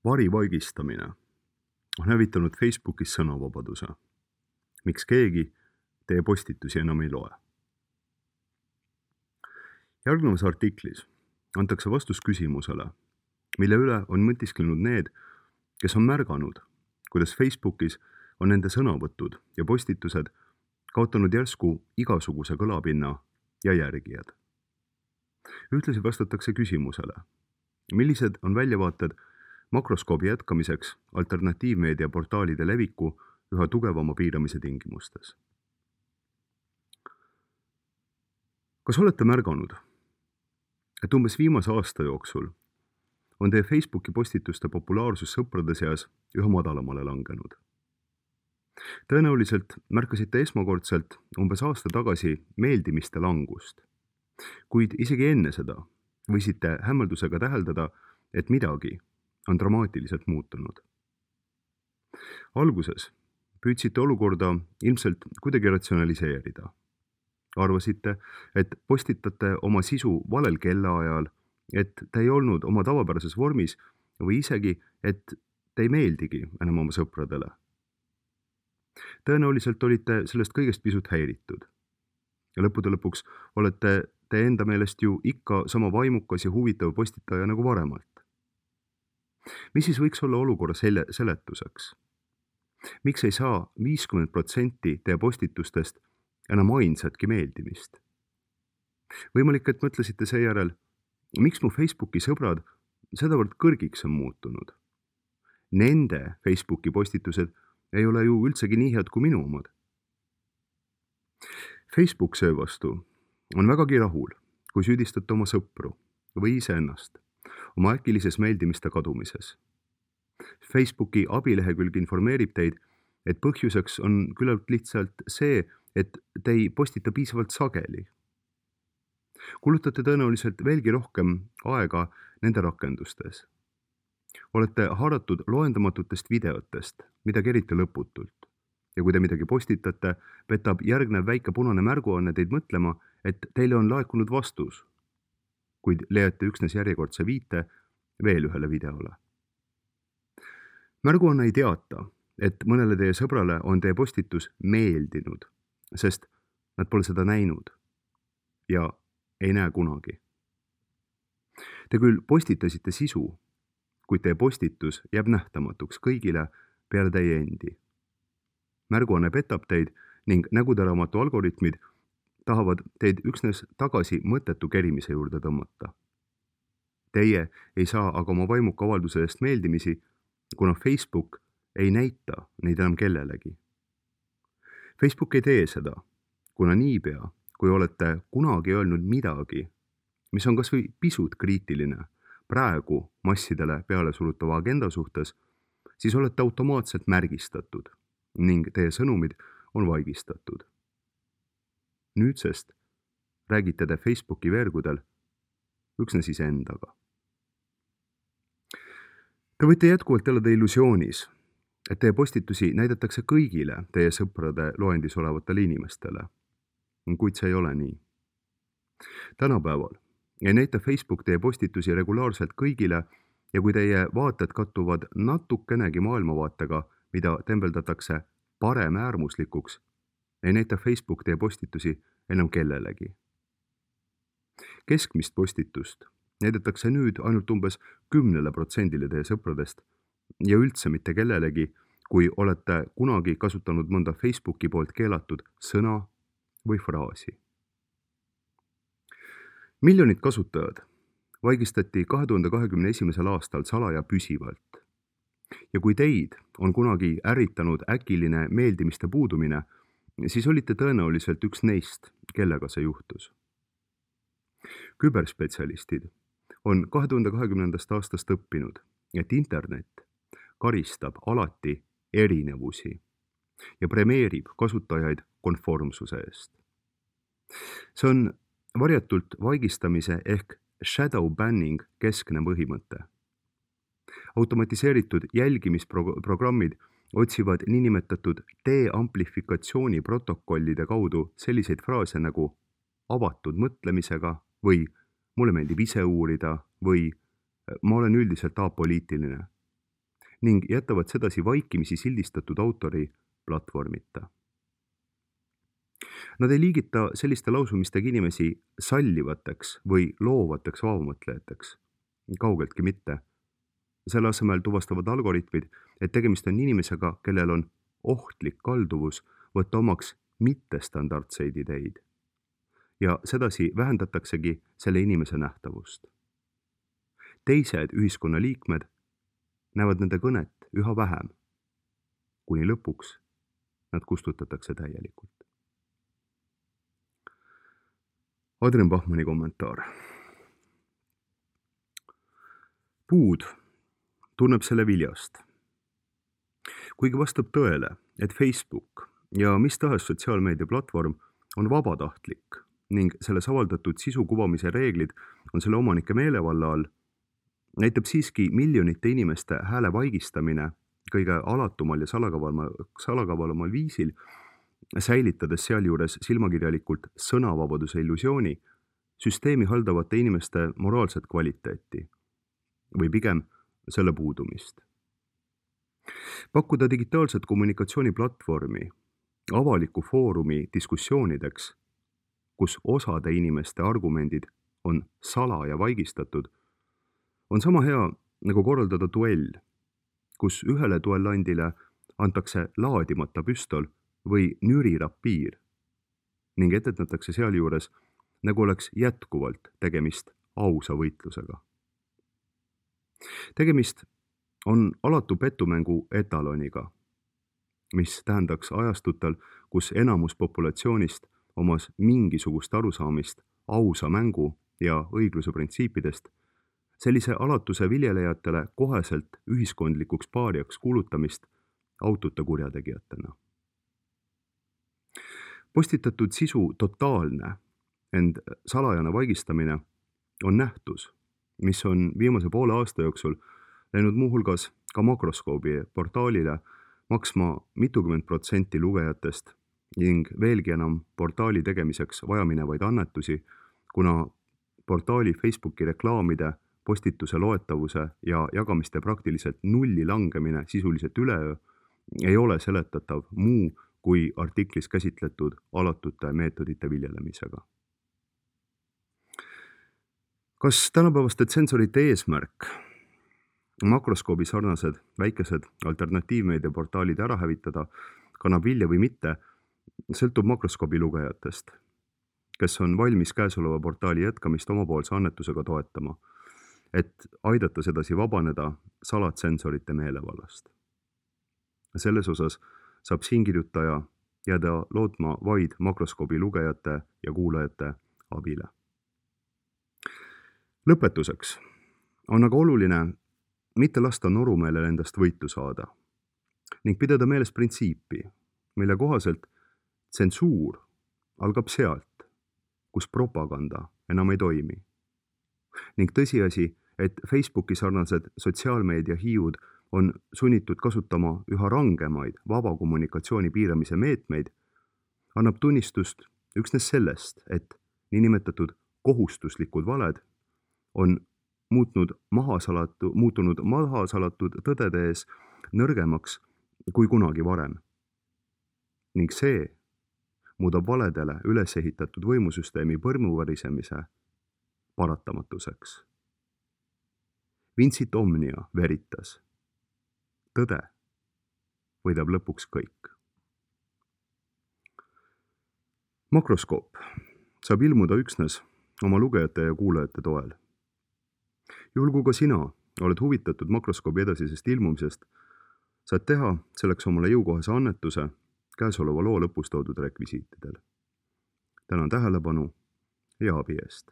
Varivaigistamine on hävitanud Facebookis sõnavabaduse. Miks keegi teie postitusi enam ei loe? Järgnevas artiklis antakse vastus küsimusele, mille üle on mõtisklenud need, kes on märganud, kuidas Facebookis on nende sõnavõtud ja postitused kaotanud järsku igasuguse kõlapinna ja järgijad. Ühtlasi vastatakse küsimusele, millised on väljavaated makroskoobi jätkamiseks alternatiivmeedia portaalide leviku üha tugevama piiramise tingimustes. Kas olete märganud, et umbes viimase aasta jooksul on teie Facebooki postituste populaarsus sõprade seas üha madalamale langenud? Tõenäoliselt märkasite esmakordselt umbes aasta tagasi meeldimiste langust, kuid isegi enne seda võisite hämmeldusega täheldada, et midagi on dramaatiliselt muutunud. Alguses püüdsite olukorda ilmselt kuidagi ratsionaliseerida. Arvasite, et postitate oma sisu valel kellaajal, et te ei olnud oma tavapärases vormis või isegi, et te ei meeldigi enam oma sõpradele. Tõenäoliselt olite sellest kõigest pisut häiritud. Ja lõppude lõpuks olete te enda meelest ju ikka sama vaimukas ja huvitav postitaja nagu varemalt. Mis siis võiks olla olukorra seletuseks? Miks ei saa 50% teie postitustest enam ainsatki meeldimist? Võimalik, et mõtlesite seejärel, miks mu Facebooki sõbrad sedavõrd kõrgiks on muutunud? Nende Facebooki postitused ei ole ju üldsegi nii head kui minu omad. Facebook seevastu on vägagi rahul, kui süüdistate oma sõpru või iseennast oma äkilises meeldimiste kadumises. Facebooki abilehekülg informeerib teid, et põhjuseks on küllalt lihtsalt see, et te ei postita piisavalt sageli. Kulutate tõenäoliselt veelgi rohkem aega nende rakendustes. Olete haaratud loendamatutest videotest, mida kerite lõputult. Ja kui te midagi postitate, petab järgnev väike punane märguanne teid mõtlema, et teile on laekunud vastus, kuid leiate üksnes järjekordse viite veel ühele videole. Märguanne ei teata, et mõnele teie sõbrale on teie postitus meeldinud, sest nad pole seda näinud ja ei näe kunagi. Te küll postitasite sisu, kuid teie postitus jääb nähtamatuks kõigile peale teie endi. Märguanne petab teid ning näguteraamatu algoritmid tahavad teid üksnes tagasi mõttetu kerimise juurde tõmmata. Teie ei saa aga oma vaimuka avalduse eest meeldimisi, kuna Facebook ei näita neid enam kellelegi. Facebook ei tee seda, kuna niipea, kui olete kunagi öelnud midagi, mis on kas või pisut kriitiline praegu massidele peale surutava agenda suhtes, siis olete automaatselt märgistatud ning teie sõnumid on vaigistatud. Nüüdsest räägite te Facebooki veergudel üksnes iseendaga. Te võite jätkuvalt elada illusioonis, et teie postitusi näidatakse kõigile teie sõprade loendis olevatele inimestele, kuid see ei ole nii. Tänapäeval ei näita Facebook teie postitusi regulaarselt kõigile ja kui teie vaated kattuvad natukenegi maailmavaatega, mida tembeldatakse paremäärmuslikuks, ei näita Facebook teie postitusi enam kellelegi. Keskmist postitust näidatakse nüüd ainult umbes 10% teie sõpradest ja üldse mitte kellelegi, kui olete kunagi kasutanud mõnda Facebooki poolt keelatud sõna või fraasi. Miljonid kasutajad vaigistati 2021. aastal salaja püsivalt. Ja kui teid on kunagi ärritanud äkiline meeldimiste puudumine, siis olite tõenäoliselt üks neist, kellega see juhtus. Küberspetsialistid on 2020. aastast õppinud, et internet karistab alati erinevusi ja premeerib kasutajaid konformsuse eest. See on varjatult vaigistamise ehk shadow banning keskne põhimõte. Automatiseeritud jälgimisprogrammid otsivad niinimetatud deamplifikatsiooni protokollide kaudu selliseid fraase nagu avatud mõtlemisega või mulle meeldib ise uurida või ma olen üldiselt apoliitiline. ning jätavad sedasi vaikimisi sildistatud autori platvormita. Nad ei liigita selliste lausumistega inimesi sallivateks või loovateks vabamõtlejateks. Kaugeltki mitte. Selle asemel tuvastavad algoritmid, et tegemist on inimesega, kellel on ohtlik kalduvus võtta omaks mittestandardseid ideid. Ja sedasi vähendataksegi selle inimese nähtavust. Teised ühiskonnaliikmed näevad nende kõnet üha vähem, kuni lõpuks nad kustutatakse täielikult. Adrian Bachmanni kommentaar. Puud tunneb selle viljast. Kuigi vastab tõele, et Facebook ja mis tahes sotsiaalmeedia platvorm on vabatahtlik ning selles avaldatud sisu kuvamise reeglid on selle omanike meelevalla all, näitab siiski miljonite inimeste hääle vaigistamine kõige alatumal ja salakavalamal viisil, säilitades sealjuures silmakirjalikult sõnavabaduse illusiooni, süsteemi haldavate inimeste moraalset kvaliteeti või pigem selle puudumist. Pakkuda digitaalset kommunikatsiooniplatvormi, avaliku foorumi diskussioonideks, kus osade inimeste argumendid on salaja vaigistatud, on sama hea nagu korraldada duell, kus ühele duellandile antakse laadimata püstol või nürirapiir ning etetatakse sealjuures, nagu oleks jätkuvalt tegemist ausa võitlusega. Tegemist on alatu petumängu etaloniga, mis tähendaks ajastutel, kus enamus populatsioonist omas mingisugust arusaamist ausa mängu ja õigluse printsiipidest, sellise alatuse viljelejatele koheselt ühiskondlikuks paariaks kuulutamist aututa kurjategijatena. Postitatud sisu totaalne, ent salajane vaigistamine on nähtus, mis on viimase poole aasta jooksul läinud muuhulgas ka Makroskoobi portaalile maksma mitukümmend protsenti lugejatest ning veelgi enam portaali tegemiseks vajaminevaid annetusi, kuna portaali Facebooki reklaamide, postituse loetavuse ja jagamiste praktiliselt nulli langemine sisuliselt üleöö ei ole seletatav muu kui artiklis käsitletud alatute meetodite viljelemisega. Kas tänapäevaste tsensorite eesmärk Makroskoobi sarnased väikesed alternatiivmeedia portaalid ära hävitada kannab vilja või mitte, sõltub Makroskoobi lugejatest, kes on valmis käesoleva portaali jätkamist omapoolse annetusega toetama, et aidata sedasi vabaneda salatsensorite meelevallast. Selles osas saab siinkirjutaja jääda lootma vaid Makroskoobi lugejate ja kuulajate abile. Lõpetuseks on aga oluline mitte lasta norumeelel endast võitu saada ning pidada meeles printsiipi, mille kohaselt tsensuur algab sealt, kus propaganda enam ei toimi. Ning tõsiasi, et Facebooki sarnased sotsiaalmeedia hiiud on sunnitud kasutama üha rangemaid vaba kommunikatsiooni piiramise meetmeid, annab tunnistust üksnes sellest, et niinimetatud kohustuslikud valed on muutunud mahasalatud tõdede ees nõrgemaks kui kunagi varem. Ning see muudab valedele üles ehitatud võimusüsteemi põrmuvarisemise paratamatuseks. Vincit omnia veritas. Tõde võidab lõpuks kõik. Makroskoop saab ilmuda üksnes oma lugejate ja kuulajate toel. Juhul kui ka sina oled huvitatud Makroskoobi edasisest ilmumisest, saad teha selleks omale jõukohase annetuse käesoleva loo lõpus toodud rekvisiitidel. Tänan tähelepanu ja abi eest.